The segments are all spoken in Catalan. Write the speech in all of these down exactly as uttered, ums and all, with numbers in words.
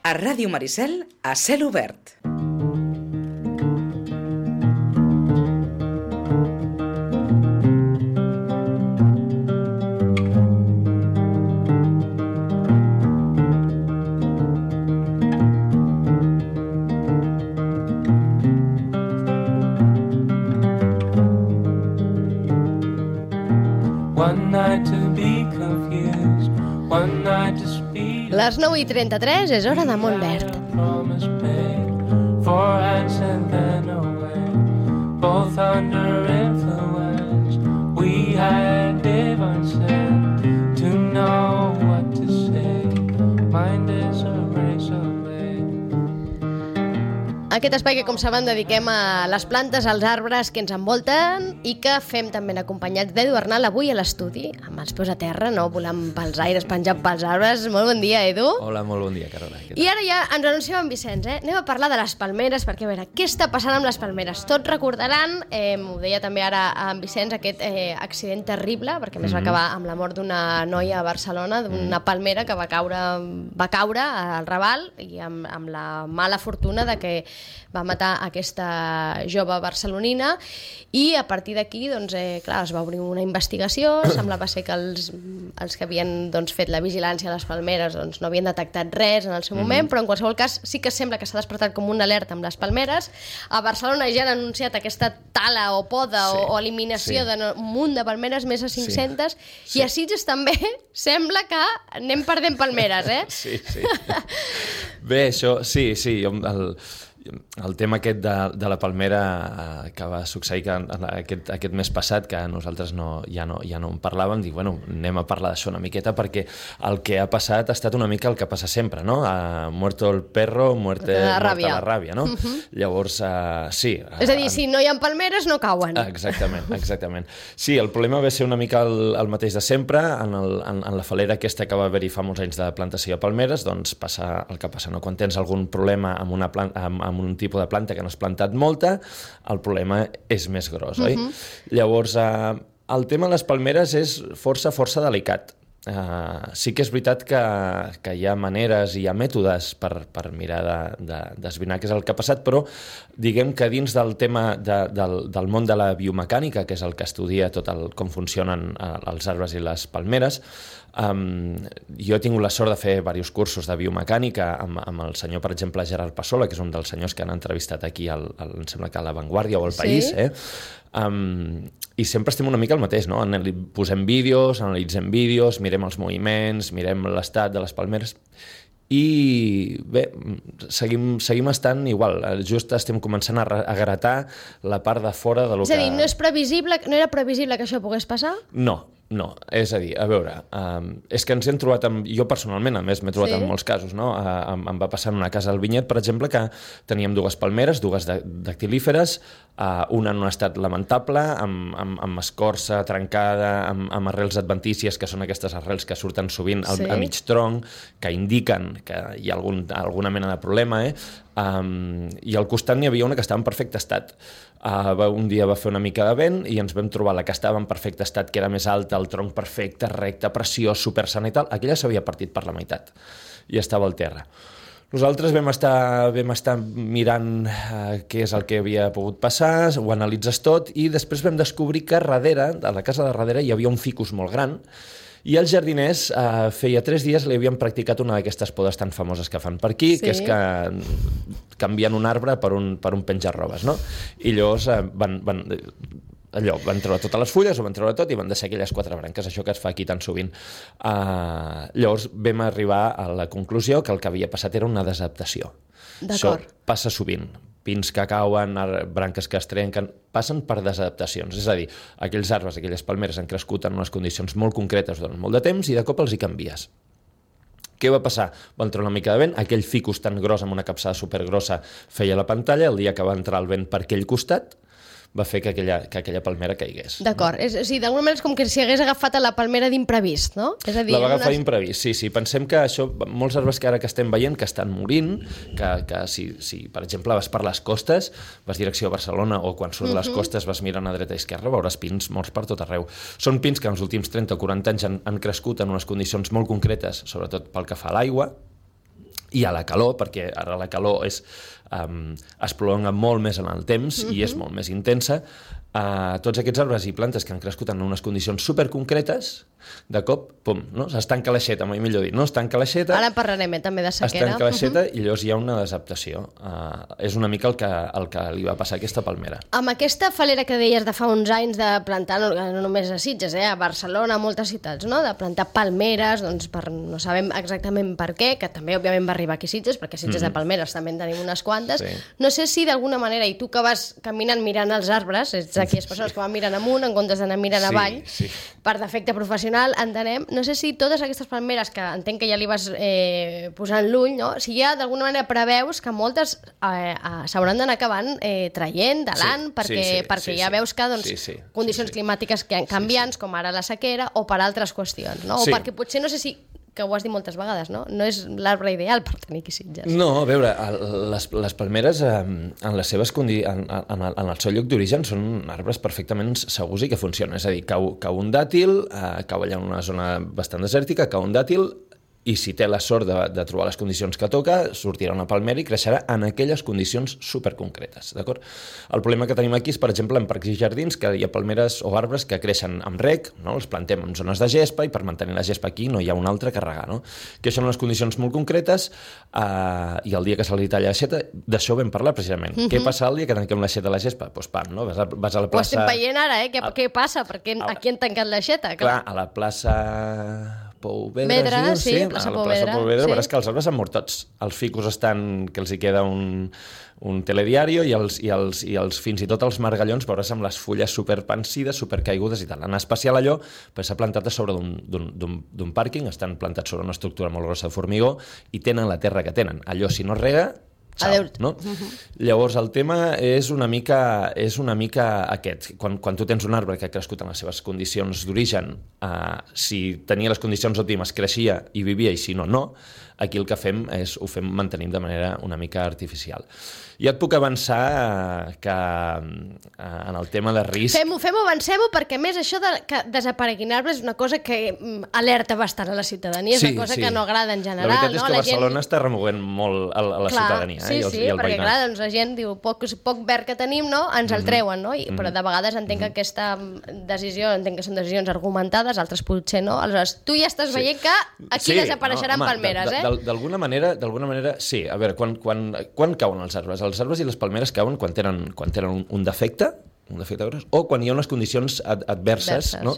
A Ràdio Maricel, a cel obert. Les nou i trenta-tres és hora de Montverd. Aquest espai que, com saben, dediquem a les plantes, als arbres que ens envolten i que fem també acompanyats d'Edu Arnal avui a l'estudi, amb els peus a terra, no volant pels aires, penjant pels arbres. Molt bon dia, Edu. Hola, molt bon dia, Carola. I ara ja ens anunciem en Vicenç, eh? Anem a parlar de les palmeres, perquè a veure, què està passant amb les palmeres? Tots recordaran, eh, m'ho deia també ara en Vicenç, aquest eh, accident terrible, perquè a més mm-hmm. va acabar amb la mort d'una noia a Barcelona, d'una mm. palmera que va caure, va caure al Raval i amb, amb la mala fortuna de que va matar aquesta jove barcelonina i a partir d'aquí doncs, eh, clar, es va obrir una investigació, semblava ser que els, els que havien doncs, fet la vigilància a les palmeres doncs, no havien detectat res en el seu moment, mm-hmm. però en qualsevol cas sí que sembla que s'ha despertat com una alerta amb les palmeres. A Barcelona ja han anunciat aquesta tala o poda sí, o, o eliminació sí. d'un munt de palmeres, més de cinc-centes, sí. Sí. I a Sitges també sembla que anem perdent palmeres, eh? Sí, sí. Bé, això, sí, sí, jo, el... El tema aquest de, de la palmera eh, que va succeir que, aquest, aquest mes passat, que nosaltres no, ja, no, ja no en parlàvem, dic, bueno, anem a parlar d'això una miqueta perquè el que ha passat ha estat una mica el que passa sempre, no? Uh, muerto el perro, muerte, la muerta la ràbia, no? Uh-huh. Llavors, uh, sí. Uh, És a dir, si no hi ha palmeres, no cauen. Exactament, exactament. Sí, el problema va ser una mica el, el mateix de sempre, en, el, en, en la falera aquesta que va haver-hi fa molts anys de plantació de palmeres, doncs passa el que passa, no? Quan tens algun problema amb una planta, amb, amb un tipus de planta que no has plantat molta, el problema és més gros, oi? Uh-huh. Llavors, eh, el tema de les palmeres és força, força delicat. Uh, sí que és veritat que, que hi ha maneres i hi ha mètodes per, per mirar de, de, d'esbrinar què és el que ha passat, però diguem que dins del tema de, del, del món de la biomecànica, que és el que estudia tot el, com funcionen uh, els arbres i les palmeres, Um, jo he tingut la sort de fer diversos cursos de biomecànica amb, amb el senyor, per exemple, Gerard Passola, que és un dels senyors que han entrevistat aquí al, al, em sembla que a La Vanguardia o al País, sí? eh? Um, i sempre estem una mica el mateix, no? Posem vídeos, analitzem vídeos, mirem els moviments, mirem l'estat de les palmeres i bé, seguim, seguim estant igual, just estem començant a, a gratar la part de fora de lo que... És a dir, no, és previsible, no era previsible que això pogués passar? No. No, és a dir, a veure, um, és que ens hem trobat, amb, jo personalment, a més, m'he trobat sí? en molts casos, no? Uh, em, em va passar en una casa al Vinyet, per exemple, que teníem dues palmeres, dues dactilíferes, uh, una en un estat lamentable, amb, amb, amb escorça trencada, amb, amb arrels adventícies, que són aquestes arrels que surten sovint al, sí? a mig tronc, que indiquen que hi ha algun, alguna mena de problema, eh? Um, i al costat n'hi havia una que estava en perfecte estat. Uh, un dia va fer una mica de vent i ens vam trobar la que estava en perfecte estat, que era més alta, el tronc perfecte, recte, preciós, supersana i tal. Aquella s'havia partit per la meitat i estava al terra. Nosaltres vam estar, vam estar mirant uh, què és el que havia pogut passar, ho analitzes tot i després vam descobrir que darrere, a la casa de darrere, hi havia un ficus molt gran i els jardiners eh, feia tres dies li havien practicat una d'aquestes podes tan famoses que fan per aquí, sí? Que és que canvien un arbre per un, per un penjar-robes, no? I llavors eh, van, van, allò, van treure totes les fulles, ho van treure tot i van deixar aquelles quatre branques, això que es fa aquí tan sovint. Uh, llavors vam arribar a la conclusió que el que havia passat era una desadaptació. D'acord. Això passa sovint. Pins que cauen, branques que es trenquen, passen per desadaptacions. És a dir, aquells arbres, aquelles palmeres han crescut en unes condicions molt concretes durant molt de temps i de cop els hi canvies. Què va passar? Va entrar una mica de vent, aquell ficus tan gros amb una capçada supergrossa feia la pantalla, el dia que va entrar el vent per aquell costat, va fer que aquella, que aquella palmera caigués. D'acord, no? És, o sigui, d'alguna manera és com que si hagués agafat a la palmera d'imprevist, no? És a dir, la va agafar unes... d'imprevist, sí, sí. Pensem que això, molts arbres que ara que estem veient que estan morint, que, que si, si, per exemple, vas per les costes, vas direcció a Barcelona o quan surt uh-huh. les costes vas mirant a dreta i esquerra, veuràs pins morts per tot arreu. Són pins que en els últims trenta o quaranta anys han, han crescut en unes condicions molt concretes, sobretot pel que fa a l'aigua, i a la calor, perquè ara la calor és, um, es prolonga molt més en el temps mm-hmm. i és molt més intensa, uh, tots aquests arbres i plantes que han crescut en unes condicions superconcretes, de cop, pum, no? Es tanca l'aixeta, mai millor dit, no? Es tanca l'aixeta... Ara en parlarem, eh, també de sequera. Es tanca l'aixeta uh-huh. i llavors hi ha una desadaptació. Uh, és una mica el que, el que li va passar a aquesta palmera. Amb aquesta falera que deies de fa uns anys de plantar, no, no només a Sitges, eh, a Barcelona, a moltes ciutats, no? De plantar palmeres, doncs per, no sabem exactament per què, que també òbviament va arribar aquí a Sitges, perquè a Sitges mm-hmm. de palmeres també en tenim unes quantes. Sí. No sé si d'alguna manera, i tu que vas caminant mirant els arbres, ets aquelles persones que van mirant amunt en comptes d'anar mirant sí, avall, sí. per defecte professional, entenem. No sé si totes aquestes palmeres, que entenc que ja li vas eh, posant l'ull, no? Si ja d'alguna manera preveus que moltes eh, eh, s'hauran d'anar acabant eh, traient de l'an, sí, perquè, sí, sí, perquè sí, ja sí. veus que doncs, sí, sí, condicions sí, sí. climàtiques que canviants, sí, sí. com ara la sequera, o per altres qüestions, no? O sí. perquè potser, no sé si que ho has dit moltes vegades, no? No és l'arbre ideal per tenir aquí Sitges. No, a veure, les, les palmeres en, les seves condi... en, en, el, en el seu lloc d'origen són arbres perfectament segurs i que funcionen. És a dir, cau, cau un dàtil, eh, cau allà en una zona bastant desèrtica, cau un dàtil, i si té la sort de, de trobar les condicions que toca, sortirà una palmera i creixerà en aquelles condicions superconcretes, d'acord? El problema que tenim aquí és, per exemple, en parcs i jardins, que hi ha palmeres o arbres que creixen amb rec, no? Els plantem en zones de gespa i per mantenir la gespa aquí no hi ha un altre que regar, no? Que són unes condicions molt concretes eh, i el dia que se li talla l'aixeta, d'això vam parlar precisament. Mm-hmm. Què passa el dia que tanquem l'aixeta a la gespa? Doncs pues, pam, no? Vas a, vas a la plaça... Ho estem veient ara, eh? Què, a... què passa? Perquè aquí han tancat l'aixeta. Clar, a la plaça... Pou Vedra, Vedra, sí, sí, plaça Pou Vedra. Pou Vedra, sí. Veuràs que els arbres han mort tots. Els ficus estan, que els hi queda un, un telediario i els, i, els, i els, fins i tot els margallons veuràs amb les fulles superpansides, supercaigudes i tal. En especial allò, però s'ha plantat a sobre d'un pàrquing, estan plantats sobre una estructura molt grossa de formigó i tenen la terra que tenen. Allò, si no es rega, Xau, no? Uh-huh. Llavors el tema és una mica, és una mica aquest. Quan, quan tu tens un arbre que ha crescut en les seves condicions d'origen, eh, si tenia les condicions òptimes creixia i vivia i si no, no, aquí el que fem és ho fem mantenim de manera una mica artificial. Ja et puc avançar que eh, en el tema de risc... Fem-ho, fem-ho, avancem-ho, perquè a més això de que desapareguin arbres és una cosa que alerta bastant a la ciutadania, és sí, una cosa sí. que no agrada en general. La veritat és no? que la Barcelona gent... està remoguent molt a, a la clar, ciutadania sí, eh? I, els, sí, i el perquè veïnat. clar, doncs la gent diu poc, poc verd que tenim, no? ens mm-hmm. el treuen, no? I, mm-hmm. però de vegades entenc que aquesta decisió, entenc que són decisions argumentades, altres potser no. Aleshores, tu ja estàs sí. veient que aquí sí, desapareixeran no, home, palmeres, eh? D'alguna manera, d'alguna manera, sí. A veure, quan, quan, quan cauen els arbres? Els arbres i les palmeres cauen quan tenen, quan tenen un, un defecte, un defecte gros, o quan hi ha unes condicions ad, adverses. No?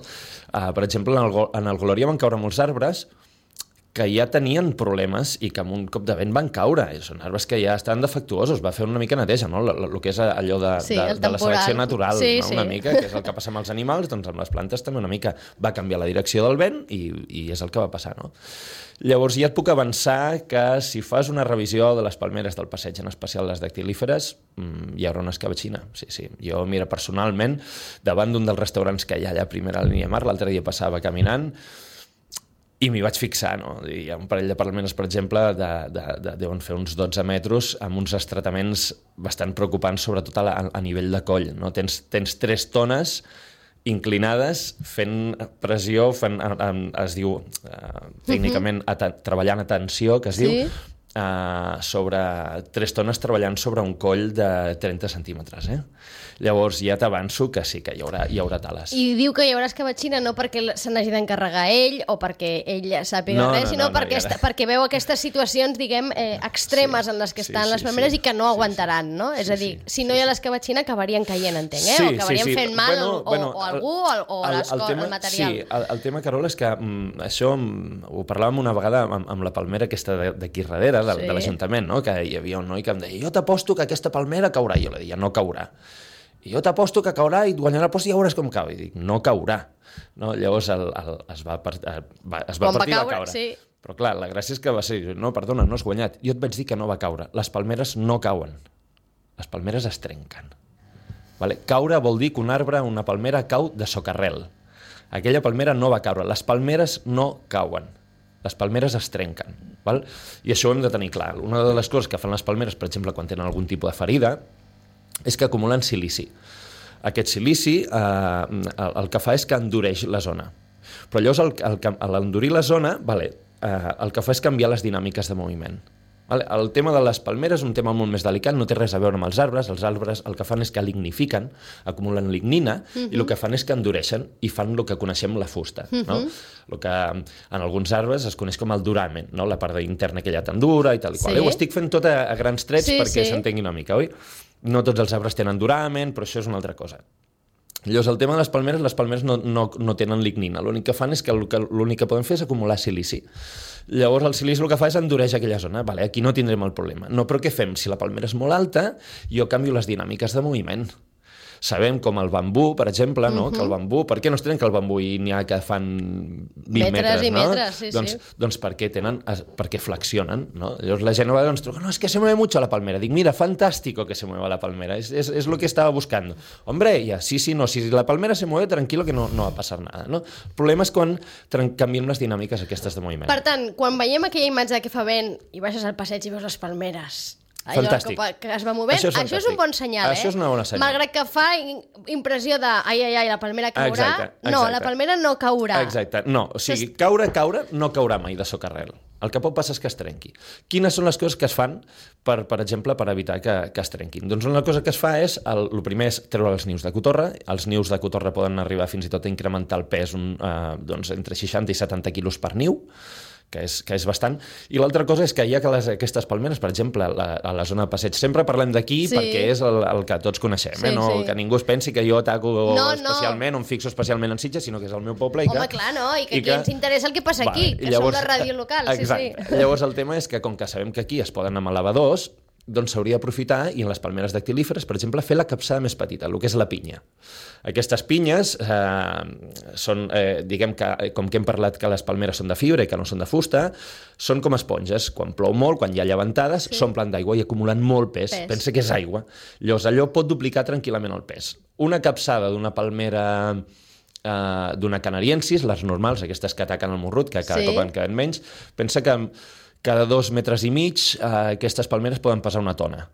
Uh, per exemple, en el, en el Glòria van caure molts arbres que ja tenien problemes i que amb un cop de vent van caure. Són arbres que ja estan defectuosos. Va fer una mica neteja, no? El que és allò de, sí, de, de la selecció natural, sí, no? sí. Una mica, que és el que passa amb els animals, doncs amb les plantes també una mica va canviar la direcció del vent i, i és el que va passar, no? Llavors ja et puc avançar que si fas una revisió de les palmeres del passeig, en especial les dactilíferes, hi haurà una escabetxina. Sí, sí. Jo, mira, personalment, davant d'un dels restaurants que hi ha allà a primera línia mar, l'altre dia passava caminant i m'hi vaig fixar, no? Hi ha un parell de palmeres, per exemple, de, de, de, deuen fer uns dotze metres, amb uns estrataments bastant preocupants, sobretot a, la, a nivell de coll. No? Tens, tens tres tones inclinades, fent pressió, fent, es diu uh, tècnicament uh -huh. treballant a tensió, que es sí. diu, uh, sobre tres tones treballant sobre un coll de trenta centímetres. Eh? Llavors ja t'avanço que sí, que hi haurà, hi haurà tales. I diu que hi haurà escabetxina no perquè se n'hagi d'encarregar ell o perquè ell sàpiga no, res, no, sinó no, perquè, no, esta, perquè veu aquestes situacions, diguem, eh, extremes sí, en les que estan sí, les palmeres sí, i que no aguantaran, no? Sí, és a dir, sí, si no hi ha l'escabetxina acabarien caient, entenc, eh? Sí, o acabarien sí, sí. fent mal bueno, o, bueno, o algú o, o el, el, tema, el material. Sí, el, el tema, Carol, és que mm, això mm, ho parlàvem una vegada amb, amb la palmera aquesta d'aquí darrere, de, sí. de l'Ajuntament, no? Que hi havia un noi que em deia, jo t'aposto que aquesta palmera caurà. I jo li deia, no caurà. I jo t'aposto que caurà i guanyarà post i ja veuràs com cau. I dic, no caurà. No? Llavors el, el, es va, part, va, es va partir i va caure. Sí. Però clar, la gràcia és que va ser, no, perdona, no has guanyat. Jo et vaig dir que no va caure. Les palmeres no cauen. Les palmeres es trenquen. Vale? Caure vol dir que un arbre, una palmera, cau de socarrel. Aquella palmera no va caure. Les palmeres no cauen. Les palmeres es trenquen. Val? I això ho hem de tenir clar. Una de les coses que fan les palmeres, per exemple, quan tenen algun tipus de ferida, és que acumulen silici. Aquest silici eh, el, el que fa és que endureix la zona. Però llavors el, el, a l'endurir la zona, vale, eh, el que fa és canviar les dinàmiques de moviment. Vale? El tema de les palmeres és un tema molt més delicat, no té res a veure amb els arbres. Els arbres el que fan és que lignifiquen, acumulen lignina, uh-huh. i el que fan és que endureixen i fan el que coneixem la fusta. Uh-huh. No? El que en alguns arbres es coneix com el duramen, no? La part interna aquella tan dura i tal i qual. Sí. Ho estic fent tot a, a grans trets sí, perquè sí. s'entengui una mica, oi? No tots els arbres tenen duramen, però això és una altra cosa. Llavors, el tema de les palmeres, les palmeres no, no, no tenen lignina. L'únic que fan és que l'únic que poden fer és acumular silici. Llavors, el silici el que fa és endureix aquella zona. Vale, aquí no tindrem el problema. No, però què fem? Si la palmera és molt alta, jo canvio les dinàmiques de moviment. Sabem com el bambú, per exemple, no? Uh-huh. Que el bambú... Per què no es tenen que el bambú i n'hi ha que fan vint metres, metres i no? metres, sí, doncs, sí. Doncs perquè tenen... Perquè flexionen, no? Llavors la gent a vegades ens truca, no, es que se mueve mucho la palmera. Dic, mira, fantástico que se mueva la palmera. Es, es, es lo que estaba buscando. Hombre, ya, sí, sí, no. Si la palmera se mueve, tranquilo que no, no va a pasar nada, no? El problema és quan canviem les dinàmiques aquestes de moviment. Per tant, quan veiem aquella imatge que fa vent i baixes al passeig i veus les palmeres... Allò fantàstic. Que, que es va movent, això és, això és un bon senyal, eh? Això és una bona senyal. Malgrat que fa impressió de ai, ai, ai, la palmera caurà, exacte, exacte. No, la palmera no caurà. Exacte, no, o sigui, caure, caure, no caurà mai de socarrel. El que pot passar és que es trenqui. Quines són les coses que es fan, per, per exemple, per evitar que, que es trenquin? Doncs una cosa que es fa és, el, el primer és treure els nius de cotorra. Els nius de cotorra poden arribar fins i tot a incrementar el pes un, eh, doncs, entre seixanta i setanta quilos per niu, que és, que és bastant. I l'altra cosa és que hi ha que les, aquestes palmeres, per exemple, la, a la zona de passeig, sempre parlem d'aquí sí. perquè és el, el que tots coneixem, sí, eh? No, sí. Que ningú es pensi que jo ataco no, especialment, no. o em fixo especialment en Sitges, sinó que és el meu poble. I Home, que, clar, no, i que, i que ens interessa el que passa vale, aquí, que llavors, som la ràdio local. Exacte. Sí, sí. Llavors el tema és que, com que sabem que aquí es poden anar amb elevadors, doncs s'hauria d'aprofitar i en les palmeres dactilíferes, per exemple, fer la capçada més petita, el que és la pinya. Aquestes pinyes eh, són, eh, diguem que, com que hem parlat que les palmeres són de fibra i que no són de fusta, són com esponges. Quan plou molt, quan hi ha llevantades, sí. s'omplen d'aigua i acumulen molt pes. pes. Pensa que és aigua. Llavors allò pot duplicar tranquil·lament el pes. Una capçada d'una palmera... Uh, d'una canariensis, les normals, aquestes que ataquen el morrut, que cada sí. cop en queden menys, pensa que cada dos metres i mig uh, aquestes palmeres poden pesar una tona.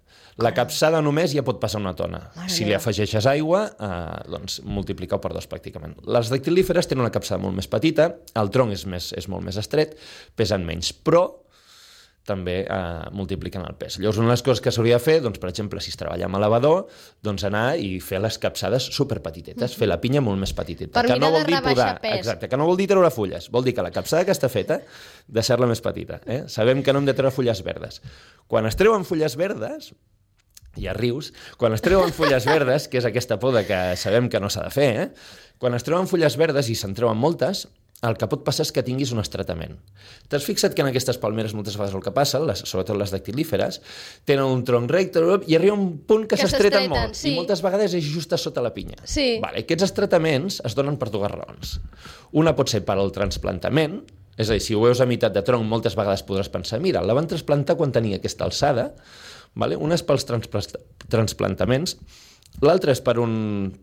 La capçada només ja pot passar una tona. Mare si li afegeixes aigua, uh, doncs multiplica-ho per dos pràcticament. Les dactilíferes tenen una capçada molt més petita, el tronc és, més, és molt més estret, pesen menys, però també eh, multipliquen el pes. Llavors, una de les coses que s'hauria de fer, doncs, per exemple, si es treballa amb elevador, doncs anar i fer les capçades superpetitetes, mm-hmm. fer la pinya molt més petiteta. Per que mirar no vol de dir podar, pes. exacte, que no vol dir treure fulles, vol dir que la capçada que està feta, deixar-la més petita. Eh? Sabem que no hem de treure fulles verdes. Quan es treuen fulles verdes, ja rius, quan es treuen fulles verdes, que és aquesta poda que sabem que no s'ha de fer, eh? Quan es treuen fulles verdes i se'n treuen moltes, el que pot passar és que tinguis un estretament. T'has fixat que en aquestes palmeres moltes vegades el que passa, les, sobretot les dactilíferes, tenen un tronc recte i arriba un punt que, que s'estreten molt. Sí. I moltes vegades és just a sota la pinya. Sí. Vale, aquests estretaments es donen per dues raons. Una pot ser per al transplantament, és a dir, si ho veus a meitat de tronc, moltes vegades podràs pensar, mira, la van transplantar quan tenia aquesta alçada, vale? Una és pels transplantaments, l'altre és per un,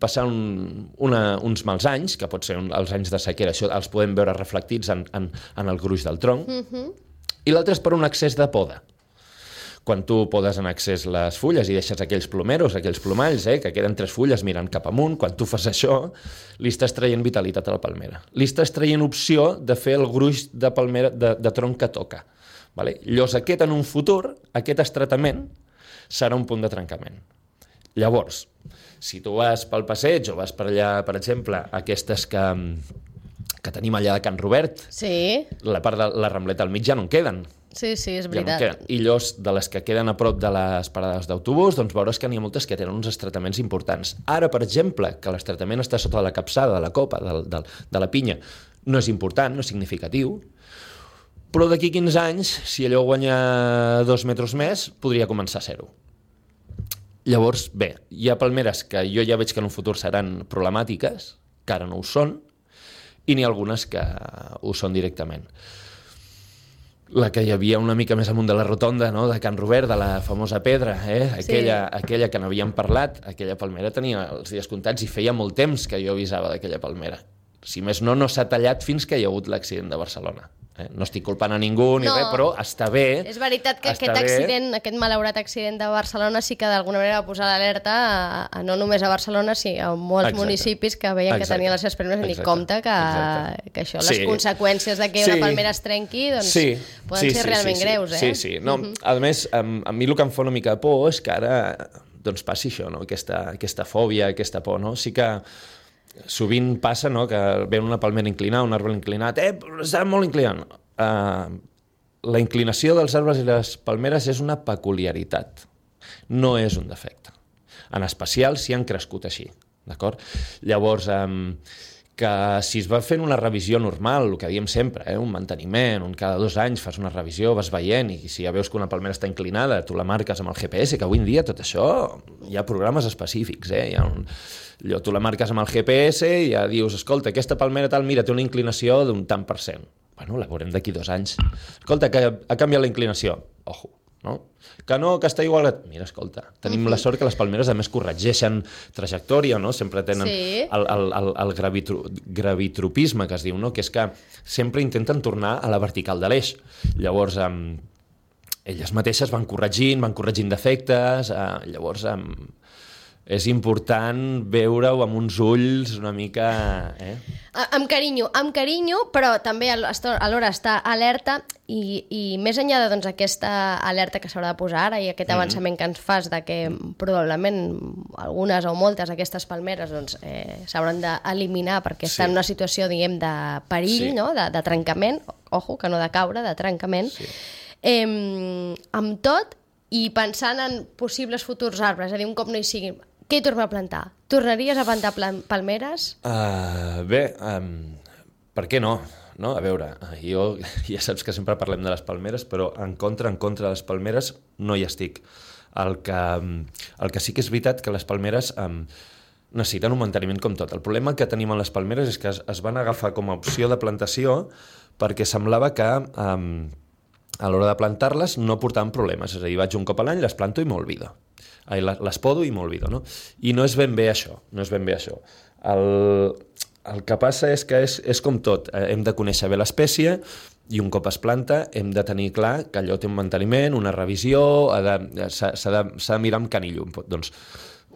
passar un, una, uns mals anys, que pot ser un, els anys de sequera, això els podem veure reflectits en, en, en el gruix del tronc, uh-huh. i l'altre és per un excés de poda. Quan tu podes en excés les fulles i deixes aquells plomeros, aquells plomalls, eh, que queden tres fulles mirant cap amunt, quan tu fas això, li estàs traient vitalitat a la palmera. Li estàs traient opció de fer el gruix de, palmera, de, de tronc que toca. Vale? Llavors aquest en un futur, aquest estretament, serà un punt de trencament. Llavors, si tu vas pel passeig o vas per allà, per exemple, aquestes que, que tenim allà de Can Robert, sí. la part de la Rambleta al mig ja no en queden. Sí, sí, és ja veritat. No I llavors, de les que queden a prop de les parades d'autobús, doncs veuràs que n'hi ha moltes que tenen uns estretaments importants. Ara, per exemple, que l'estretament està sota de la capçada, de la copa, de, de, de la pinya, no és important, no és significatiu, però d'aquí quinze anys, si allò guanya dos metres més, podria començar a ser-ho. Llavors, bé, hi ha palmeres que jo ja veig que en un futur seran problemàtiques, que ara no ho són, i n'hi ha algunes que ho són directament. La que hi havia una mica més amunt de la rotonda, no?, de Can Robert, de la famosa pedra, eh? aquella, sí. aquella que n'havíem parlat, aquella palmera tenia els dies comptats i feia molt temps que jo avisava d'aquella palmera. Si més no, no s'ha tallat fins que hi ha hagut l'accident de Barcelona. Eh? No estic culpant a ningú ni No. res, però està bé... És veritat que està aquest bé. accident, aquest malaurat accident de Barcelona sí que d'alguna manera va posar l'alerta a, a no només a Barcelona, sinó a molts Exacte. municipis que veien que Exacte. tenien les seves palmeres i dic, Exacte. compte que, Exacte. que això, Sí. les conseqüències de que Sí. una palmera es trenqui, doncs sí. poden sí, ser sí, realment sí, sí. greus, eh? Sí, sí. No, uh-huh. A més, a, a mi el que em fa una mica de por és que ara doncs, passi això, no? aquesta, aquesta fòbia, aquesta por. No? Sí que sovint passa, no?, que ve una palmera inclinada, un arbre inclinat, eh, està molt inclinat. Uh, la inclinació dels arbres i les palmeres és una peculiaritat, no és un defecte. En especial si han crescut així, d'acord? Llavors, um, que si es va fent una revisió normal, el que diem sempre, eh, un manteniment, un cada dos anys fas una revisió, vas veient, i si ja veus que una palmera està inclinada, tu la marques amb el G P S, que avui en dia tot això, hi ha programes específics, eh? Hi ha un... Allò, tu la marques amb el G P S i ja dius, escolta, aquesta palmera tal, mira, té una inclinació d'un tant per cent. Bueno, la veurem d'aquí dos anys. Escolta, que ha canviat la inclinació. Ojo, no? Que no, que està igual... Mira, escolta, tenim uh-huh. la sort que les palmeres a més corregeixen trajectòria, no? Sempre tenen sí. el, el, el, el gravitro, gravitropisme, que es diu, no? Que és que sempre intenten tornar a la vertical de l'eix. Llavors, um, elles mateixes van corregint, van corregint defectes, uh, llavors... Um, és important veure-ho amb uns ulls una mica... Eh? Amb carinyo, amb carinyo, però també alhora està alerta i, i més enllà de doncs, aquesta alerta que s'haurà de posar ara i aquest avançament mm-hmm. que ens fas de que probablement algunes o moltes d'aquestes palmeres doncs, eh, s'hauran d'eliminar perquè sí. estan en una situació, diguem, de perill, sí. no? de, de trencament, ojo, que no de caure, de trencament. Sí. Eh, amb tot, i pensant en possibles futurs arbres, és a dir, un cop no hi siguin, què hi torna a plantar? Tornaries a plantar palmeres? Uh, bé, um, per què no? no? A veure, jo ja saps que sempre parlem de les palmeres, però en contra, en contra de les palmeres no hi estic. El que, el que sí que és veritat que les palmeres um, necessiten un manteniment com tot. El problema que tenim amb les palmeres és que es, es van agafar com a opció de plantació perquè semblava que um, a l'hora de plantar-les no portaven problemes. És a dir, vaig un cop a l'any, les planto i m'olvido. Les podo i m'olvido, no? I no és ben bé això, no és ben bé això. El, el que passa és que és, és com tot, hem de conèixer bé l'espècie i un cop es planta hem de tenir clar que allò té un manteniment, una revisió, s'ha de, de mirar amb canillo. Doncs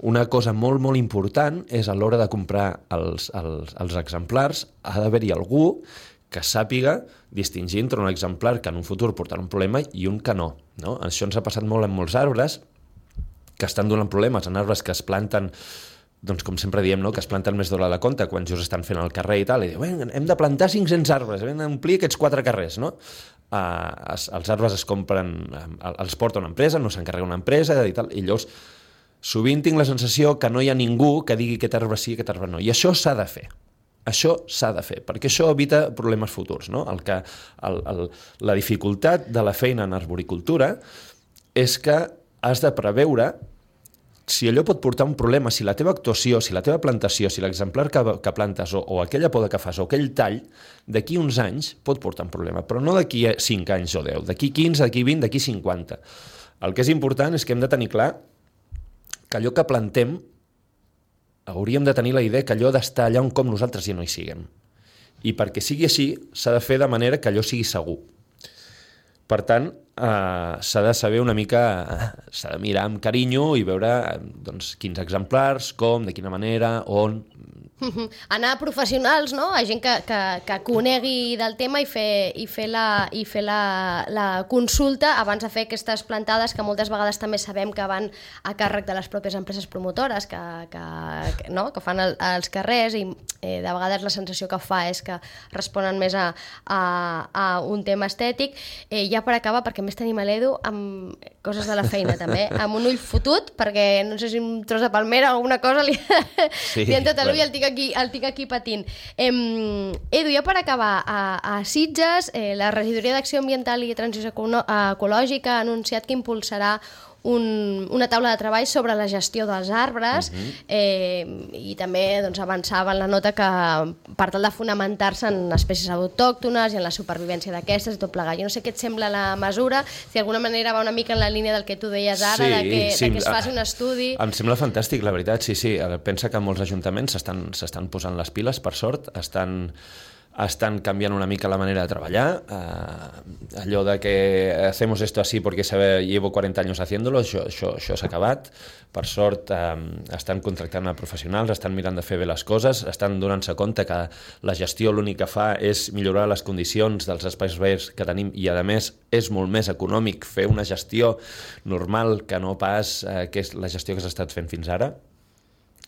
una cosa molt, molt important és a l'hora de comprar els, els, els exemplars, ha d'haver-hi algú que sàpiga distingir entre un exemplar que en un futur portarà un problema i un que no, no? Això ens ha passat molt en molts arbres, que estan donant problemes en arbres que es planten, doncs com sempre diem, no? Que es planten més d'hora de compte, quan just estan fent el carrer i tal, i diuen, hem de plantar cinc-cents arbres, hem d'omplir aquests quatre carrers, no? Uh, es, els arbres es compren, uh, els porta una empresa, no s'encarrega una empresa i tal, i llavors sovint tinc la sensació que no hi ha ningú que digui aquest arbre sí, aquest arbre no, i això s'ha de fer. Això s'ha de fer, perquè això evita problemes futurs, no? El que, el, el, la dificultat de la feina en arboricultura és que has de preveure si allò pot portar un problema, si la teva actuació, si la teva plantació, si l'exemplar que, que plantes o, o aquella poda que fas o aquell tall, d'aquí uns anys pot portar un problema, però no d'aquí cinc anys o deu, d'aquí quinze, d'aquí vint, d'aquí cinquanta. El que és important és que hem de tenir clar que allò que plantem hauríem de tenir la idea que allò d'estar allà un cop nosaltres ja no hi siguem. I perquè sigui així, s'ha de fer de manera que allò sigui segur. Per tant, eh, s'ha de saber una mica, eh, s'ha de mirar amb carinyo i veure eh, doncs, quins exemplars, com, de quina manera, on... Anar a professionals, no? A gent que, que, que conegui del tema i fer, i fer, la, i fer la, la consulta abans de fer aquestes plantades que moltes vegades també sabem que van a càrrec de les pròpies empreses promotores que, que, que, no? que fan el, els carrers i eh, de vegades la sensació que fa és que responen més a, a, a un tema estètic. Eh, ja per acabar, perquè més tenim a l'Edu amb coses de la feina també, amb un ull fotut perquè no sé si un tros de palmera o alguna cosa li, sí, li han tot l'ull i el tinc aquí, el tinc aquí patint. Eh, Edu, ja per acabar, a, a Sitges, eh, la Regidoria d'Acció Ambiental i Transició Ecològica ha anunciat que impulsarà un, una taula de treball sobre la gestió dels arbres uh-huh. eh, i també doncs, avançava en la nota que per tal de fonamentar-se en espècies autòctones i en la supervivència d'aquestes i tot plegat. Jo no sé què et sembla la mesura, si d'alguna manera va una mica en la línia del que tu deies ara, sí, de, que, sí, de que es faci un estudi... Em sembla fantàstic, la veritat, sí, sí. Pensa que molts ajuntaments s'estan s'estan posant les piles, per sort, estan... estan canviant una mica la manera de treballar. Uh, allò de que hacemos esto así porque sabe, llevo cuarenta años haciéndolo, això, això, això s'ha acabat. Per sort, um, estan contractant a professionals, estan mirant de fer bé les coses, estan donant-se compte que la gestió l'únic que fa és millorar les condicions dels espais verds que tenim i, a més, és molt més econòmic fer una gestió normal que no pas eh, que és la gestió que s'ha estat fent fins ara.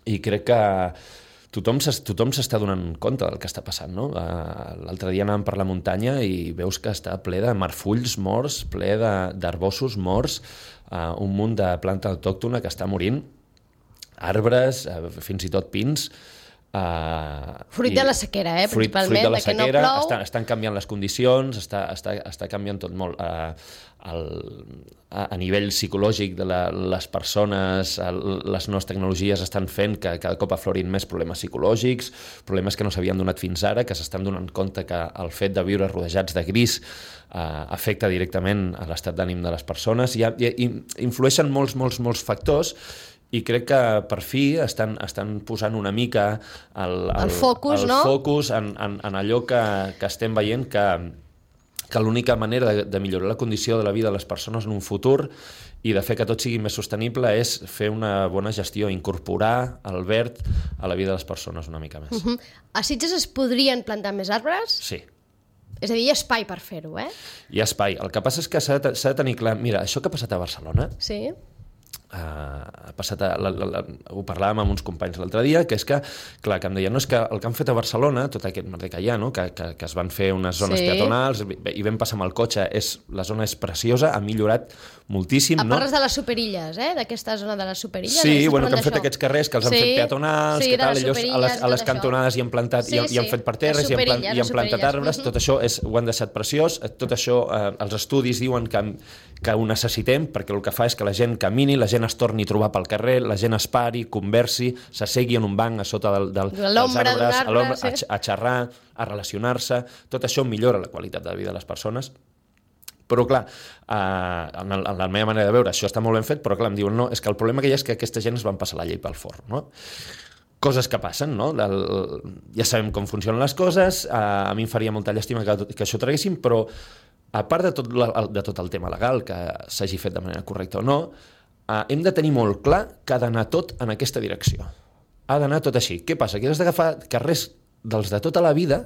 I crec que tothom s'està donant compte del que està passant, no? L'altre dia anàvem per la muntanya i veus que està ple de marfulls morts, ple d'arbossos morts, un munt de planta autòctona que està morint, arbres, fins i tot pins. Fruit de la sequera, eh, principalment, fruit de la que no sequera, plou. estan, estan canviant les condicions, està, està, està canviant tot molt. Uh, el, a, a nivell psicològic de la, les persones, el, les noves tecnologies estan fent que cada cop aflorin més problemes psicològics, problemes que no s'havien donat fins ara, que s'estan donant compte que el fet de viure rodejats de gris uh, afecta directament a l'estat d'ànim de les persones. I, i, i influeixen molts, molts, molts factors. I crec que per fi estan, estan posant una mica el, el, el focus, el no? focus en, en, en allò que, que estem veient que, que l'única manera de, de millorar la condició de la vida de les persones en un futur i de fer que tot sigui més sostenible és fer una bona gestió, incorporar el verd a la vida de les persones una mica més. Uh-huh. A Sitges es podrien plantar més arbres? Sí. És a dir, hi ha espai per fer-ho, eh? Hi ha espai. El que passa és que s'ha de, s'ha de tenir clar... Mira, això que ha passat a Barcelona... Sí. Uh, ha passat a, la, la, la, ho parlàvem amb uns companys l'altre dia, que és que, clar, que em deien, no, és que el que han fet a Barcelona, tot aquest merder que hi ha, no? que, que, que es van fer unes zones sí. peatonals i vam passar amb el cotxe, és, la zona és preciosa, ha millorat moltíssim. A No? parles de les superilles, eh? D'aquesta zona de les superilles. Sí, eh? bueno, que han fet aquests carrers, que els han sí, fet peatonals, sí, que tal, ells a les, a les cantonades hi han plantat, sí, i, i han fet parterres, i han, plant, i han plantat arbres, tot això és, ho han deixat preciós, tot això, eh, els estudis diuen que, que ho necessitem, perquè el que fa és que la gent camini, la gent es torni a trobar pel carrer, la gent es pari, conversi, s'assegui en un banc a sota del, del, dels arbres, a l'ombra, sí. a, a xerrar, a relacionar-se, tot això millora la qualitat de vida de les persones. Però, clar, eh, en, el, en la meva manera de veure, això està molt ben fet, però, clar, em diuen, no, és que el problema que hi ha és que aquesta gent es van passar la llei pel forn, no? Coses que passen, no? El, ja sabem com funcionen les coses, eh, a mi em faria molta llàstima que, que això traguéssim, però, a part de tot, la, de tot el tema legal, que s'hagi fet de manera correcta o no, eh, hem de tenir molt clar que ha d'anar tot en aquesta direcció. Ha d'anar tot així. Què passa? Que has d'agafar carrers dels de tota la vida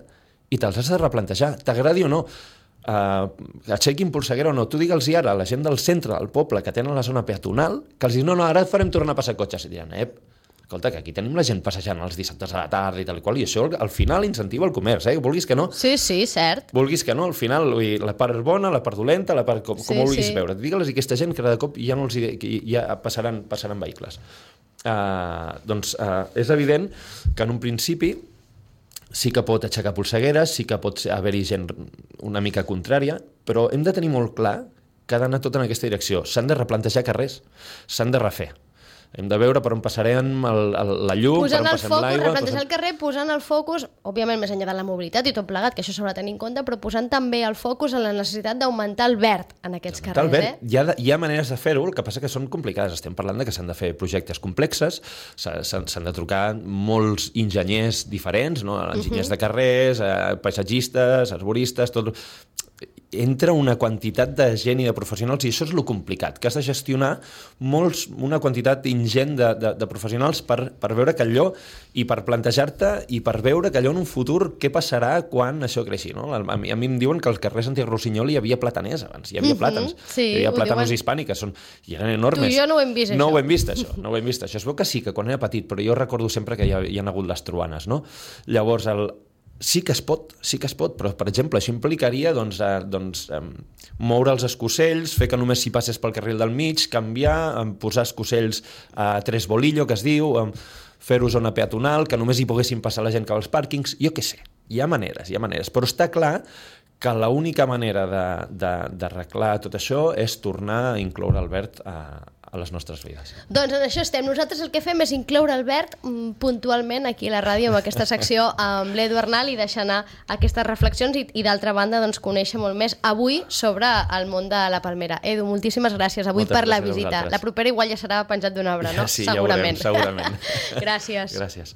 i te'ls has de replantejar, t'agradi o no. Uh, aixequin polseguera o no, tu digue'ls ara a la gent del centre del poble que tenen la zona peatonal, que els dius, no, no, ara farem tornar a passar cotxes, i diran, ep, escolta, que aquí tenim la gent passejant els dissabtes a la tarda i tal i qual, i això al final incentiva el comerç, eh? Vulguis que no. Sí, sí, cert. Vulguis que no, al final la part és bona, la part dolenta, la part com, sí, com ho vulguis sí. veure. Digue'ls a aquesta gent que cada cop ja no els ja passaran, passaran vehicles. Uh, doncs uh, és evident que en un principi sí que pot aixecar polsegueres, sí que pot haver-hi gent una mica contrària, però hem de tenir molt clar que ha d'anar tot en aquesta direcció. S'han de replantejar carrers, s'han de refer. Hem de veure per on passarem el, el, la llum, posant per on passem l'aigua... Replantejar posant... el carrer, posant el focus, òbviament més enllà de la mobilitat i tot plegat, que això s'haurà de tenir en compte, però posant també el focus en la necessitat d'augmentar el verd en aquests carrers. El verd, eh? hi, ha de, hi ha maneres de fer-ho, el que passa que són complicades. Estem parlant de que s'han de fer projectes complexes, s'han de trucar molts enginyers diferents, no? Enginyers uh-huh. de carrers, eh, paisatgistes, arboristes, tot... Entra una quantitat de gent i de professionals, i això és el complicat, que has de gestionar molts, una quantitat ingent de, de, de professionals per, per veure que allò, i per plantejar-te, i per veure que allò en un futur, què passarà quan això creixi, no? A mi, a mi em diuen que als carrers Santiago Rossinyol hi havia plataners abans, hi havia uh-huh. plàtans, sí, hi havia plàtanos diuen... hispàniques, són, i eren enormes. Tu i jo no ho hem vist, no això. Ho hem vist, això. No ho hem vist, això. Es veu que sí, que quan era petit, però jo recordo sempre que hi ha, hi ha hagut les truanes, no? Llavors, el, sí que es pot, sí que es pot, però, per exemple, això implicaria doncs, eh, doncs, eh, moure els escocells, fer que només s'hi passes pel carril del mig, canviar, eh, posar escocells a tres bolillo, que es diu, eh, fer-ho zona peatonal, que només hi poguessin passar la gent cap als pàrquings, jo què sé, hi ha maneres, hi ha maneres, però està clar que l'única manera d'arreglar tot això és tornar a incloure el verd a, a les nostres vides. Doncs en això estem. Nosaltres el que fem és incloure el verd mm, puntualment aquí a la ràdio amb aquesta secció amb l'Edu Arnal i deixar anar aquestes reflexions i, i d'altra banda doncs, conèixer molt més avui sobre el món de la palmera. Edu, moltíssimes gràcies avui Moltes per la gràcies visita. La propera igual ja serà penjat d'un arbre, no? Sí, segurament. Ja ho veurem, segurament. Gràcies. Gràcies.